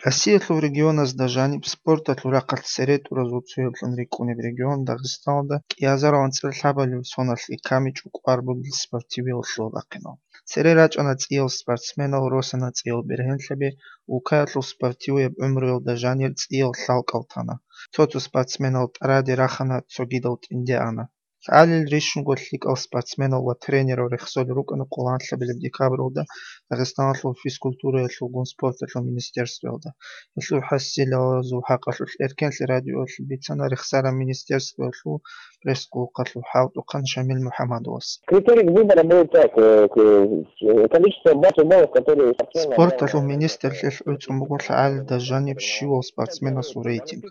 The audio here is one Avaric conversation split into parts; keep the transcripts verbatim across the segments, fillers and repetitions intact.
Россиялъул регионазда жаниб спорталъул рахъалъ цере тӀуразул цояблъун рикӀкӀунеб регион Дагъистаналда кӀиазарал анцӀила лъабабилеб соналъ икками чӀукӀвар бугел спортивиял лъугьа-бахъинал. Цере рачӀана цӀиял спортсменал, росана цӀиял бергьенлъаби, улкаялъул спортивияб гӀумруялда жанир цӀиял лъалкӀал тана. Цо-цо спортсменал тӀараде рахана, цогидал тӀинде ана. ЛъагӀалил рищунго лъикӀал спортсменал ва тренерал рехсолел рукӀана къоло анлъабилеб декабралда Дагъистаналъул физкультураялъулгун спорталъул министерствоялда. Гьелъул хӀасилалазул хӀакъалъулъ Эркенлъи радиоялъ бицана рехсараб министерствоялъул пресс-къулухъалъул хӀалтӀухъан Шамил МухӀамадовас. Критерий выбора был так, э, к-, количество баллов, которые спортсмен набрал. Спорталъул министрлъи гӀуцӀун буго лъагӀалилда жаниб щивав спортсменасул рейтинг.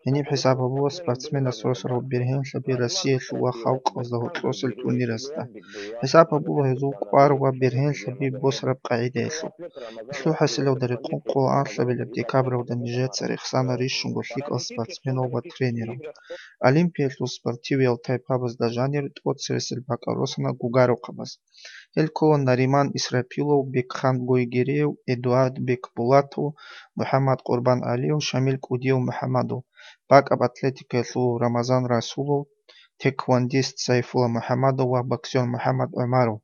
Гьениб хӀисаб гьабула спортсменас росарал бергьенлъаби Россиялъул ва халкъазда гьоркьосел турнирасда. ХӀисаб гьабула гьезул кӀвар ва бергьенлъаби босараб къагӀидаялъул. Гьелъул хӀасилалда рекъон къоло анлъабилеб декабралда нижеца рехсана рищунго лъикӀал спортсменал ва тренерал. Олимпиялъул спортивиял тайпабазда жанир тӀоцересел бакӀал росана гугарухъабаз. Гьел ккола Нариман Исрапилов, Бекхан Гойгериев, Эдуард Бекбулатов, МухӀаммад Къурбан Алиев, Шамил КӀудияв МухӀаммадов, бакӀаб атлетикаялъул Рамазан Расулов, тхэквондист Сайфула МухӀаммадов ва боксер МухӀаммад ГӀумаров.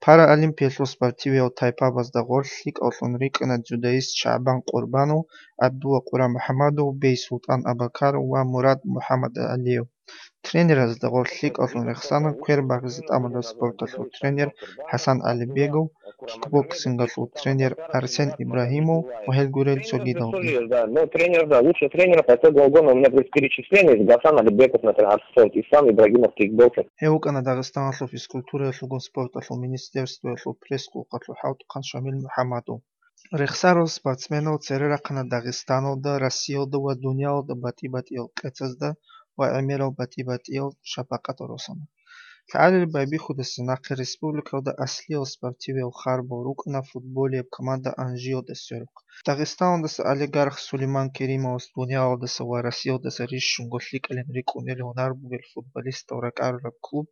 Параолимпиялъул спортивиял тайпабазда гъорлъ лъикӀаллъун рикӀкӀана дзюдоист ШагӀбан Къурбанов, ГӀабдулла Къурамухаммадов, Бейсултан Абакаров ва Мурад МухӀаммадгӀалиев. Тренеразда гъорлъ лъикӀаллъун рехсана квер багъизе тӀамулев спорталъул тренер ХӀасан ГӀалибегов, кикбоксингалъул тренер Арсен Ибрагьимов ва гьел гурел цогидалги. Да, но тренер, да, лучший тренер по итогу года у меня здесь перечисление, Гасан Алибеков, например, арт-спорт, Ислам Ибрагимов, кикбоксинг. Гьев вукӀана Дагъистаналъул физкультураялъулгун спорталъул министерствоялъул пресс-къулухъалъул хӀалтӀухъан Шамил МухӀаммадов. Рехсарал спортсменал цере рахъана Дагъистаналда, Россиялда ва дуниялалда батӀи-батӀиял къецазда ва гӀемерал батӀи-батӀиял шапакъатал росана. ЛъагӀалил байбихьудаса нахъе республикалда аслиял спортивиял харбал рукӀана футболияб команда Анжиялда сверухъ. Дагъистаналдаса олигарх Сулейман Керимовас дуниялалдаса ва Россиялдаса рищунго лъикӀалин рикӀкӀунел гьунар бугел футболистал ракӀарураб клуб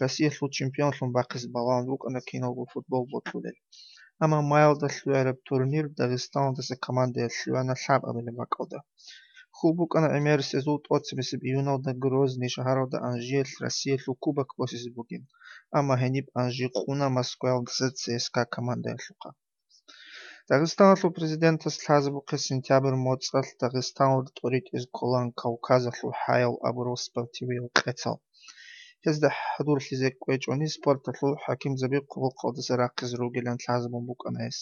Россиялъул чемпионлъун бахъизе балагьун рукӀана киналго футбол бокьулел. Амма маялда лъугӀараб турнир Дагъистаналдаса командаял лъугӀана лъабабилеб бакӀалда. Хьул букӀана гӀемерисезул тӀоцебесеб июналда Грозный шагьаралда Анжиялъ Россиялъул кубок босизе бугин, амма гьениб Анжи къуна Москваялдаса ЦСКА командаялъухъа. Дагъистаналъул президентас лъазабухъе сентябрь моцӀалъ Дагъистаналда тӀоритӀизе кколаан Кавказалъул хӀаял абурал спортивиял къецал. Гьезда хӀадурлъизе кӀвечӀони спорталъул хӀакимзаби хъулухъалдаса рахъизе ругилан лъазабун букӀана гьес.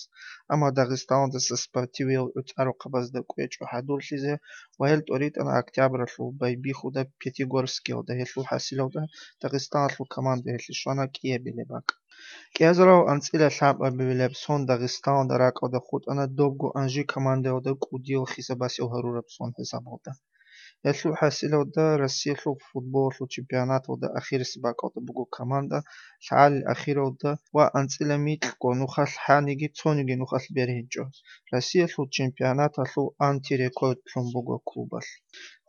Амма Дагъистаналдаса спортивиял гӀуцӀарухъабазда кӀвечӀо хӀадурлъизе ва гьел тӀоритӀана октябралъул байбихьуда Пятигорскиялда, гьелъул хӀасилалда Дагъистаналъул команда гьелъе щвана кӀиабилеб бакӀ. КӀиазарал анцӀила лъабабилеб сон Дагъистаналда ракӀалда хутӀана добго Анжи командаялда кӀудиял хисабасев гьарураб сон хӀисабалда. Гьелъул хӀасилалда Россиялъул футболалъул чемпионаталда ахирисеб бакӀалда буго команда, лъагӀалил ахиралда ва анцӀила микьго нухалъ хӀаниги цониги нухалъ бергьинчӀо. Россиялъул чемпионаталъул антирекорд лъун буго клубалъ.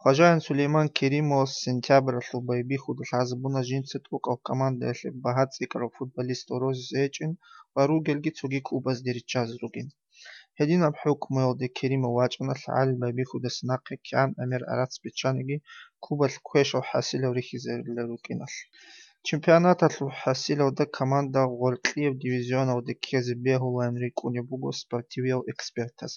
Хважаин Сулейман Керимовас сентябралъул байбихьуда лъазабуна жинца тӀокӀал командаялъе багьа цӀикӀкӀарал футболистал розизе гьечӀин ва ругелги цоги клубазде риччазе ругин. Гьединаб хӀукмуялде Керимов вачӀана лъагӀалил байбихьудаса нахъе кигӀан гӀемер гӀарац биччаниги, клубалъ квешал хӀасилал рихьизарилан рукӀиналъ. Чемпионаталъул хӀасилалда команда гъоркьияб дивизионалде ккезе бегьулаан рикӀкӀунеб буго спортивиял экспертаз.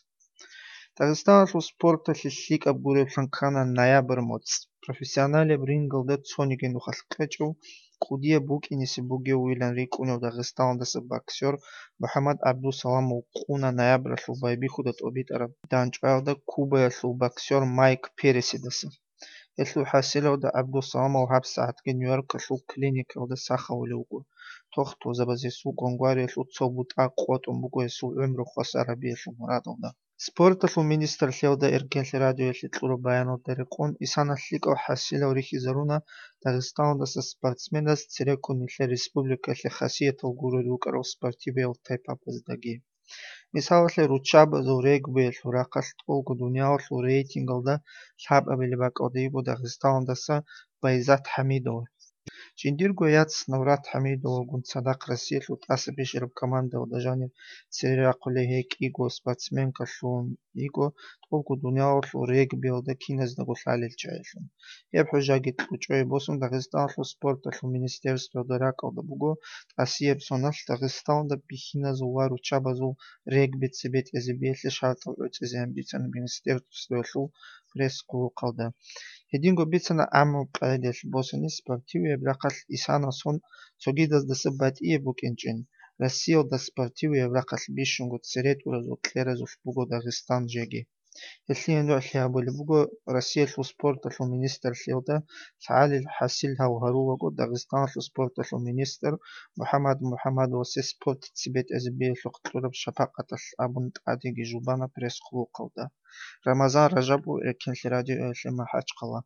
Дагъистаналъул спорталъе лъикӀаб гуреблъун ккана ноябрь моцӀ. Профессионалияб рингалда цониги нухалъ кьечӀев, кӀудияб букӀинисе бугевилан рикӀкӀунев Дагъистаналдаса боксер МухӀаммад ГӀабдусаламов къуна ноябралъул байбихьуда тӀобитӀараб дандчӀваялда Кубаялъул боксер Майк Пересидаса. Гьелъул хӀасилалда ГӀабдусаламов гьабсагӀатги Нью-Йоркалъул клиникаялда сахавулев вуго. Тохтузабаз гьесул гвангвариялъул цо бутӀа къотӀун буго гьесул гӀумру хвасар гьабиялъул мурадалда. Спорталъул министрлъиялда Эркенлъи радиоялъе кьураб баяналда рекъон, исана лъикӀал хӀасилал рихьизаруна Дагъистаналдаса спортсменаз цереккун нилъер республикалъе хасиятал гурел рукӀарал спортивиял тайпабаздаги. Мисалалъе, руччабазул регбиялъул рахъалъ тӀолго дуниялалъул рейтингалда лъабабилеб бакӀалда йиго Дагъистаналдаса Байзат ХӀамидова. Жиндирго яц Наврат ХӀамидовалгун цадахъ Россиялъул тӀаса бищараб командаялда жанир цере рахъулей гьей кӀиго спортсменкалъун йиго, тӀубго дуниялалъул регбиялда киназдаго лъалел чагӀилъун. Гьеб хӀужаги кьучӀое босун Дагъистаналъул спорталъул министерствоялда ракӀалда буго тӀасияб соналъ Дагъистаналда бихьиназул ва руччабазул регби цебетӀезабиялъе шартӀал гӀуцӀизеян бицана министерствоялъул пресс-хъулухъалда. Гьединго бицана гӀаммаб къагӀидаялъ босани спортивияб рахъалъ исанасон цогидаздаса батӀияб букӀинчӀин, Россиялда спортивияб рахъалъ бищунго цере тӀуразул кьеразулъ буго Дагъистан жеги. Гьелъие нугӀлъи гьабулеб буго Россиялъул спорталъул министрлъиялда лъагӀалил хӀасил гьав гьарулаго Дагъистаналъул спорталъул министр МухӀаммад МухӀаммадовасе спорт цебетӀезабиялъухъ кьураб шапакъаталъ абун тӀадеги жубана пресс-хъулухъалда. Рамазан Ражабов, Эркенлъи радиоялъе МахӀачхъала.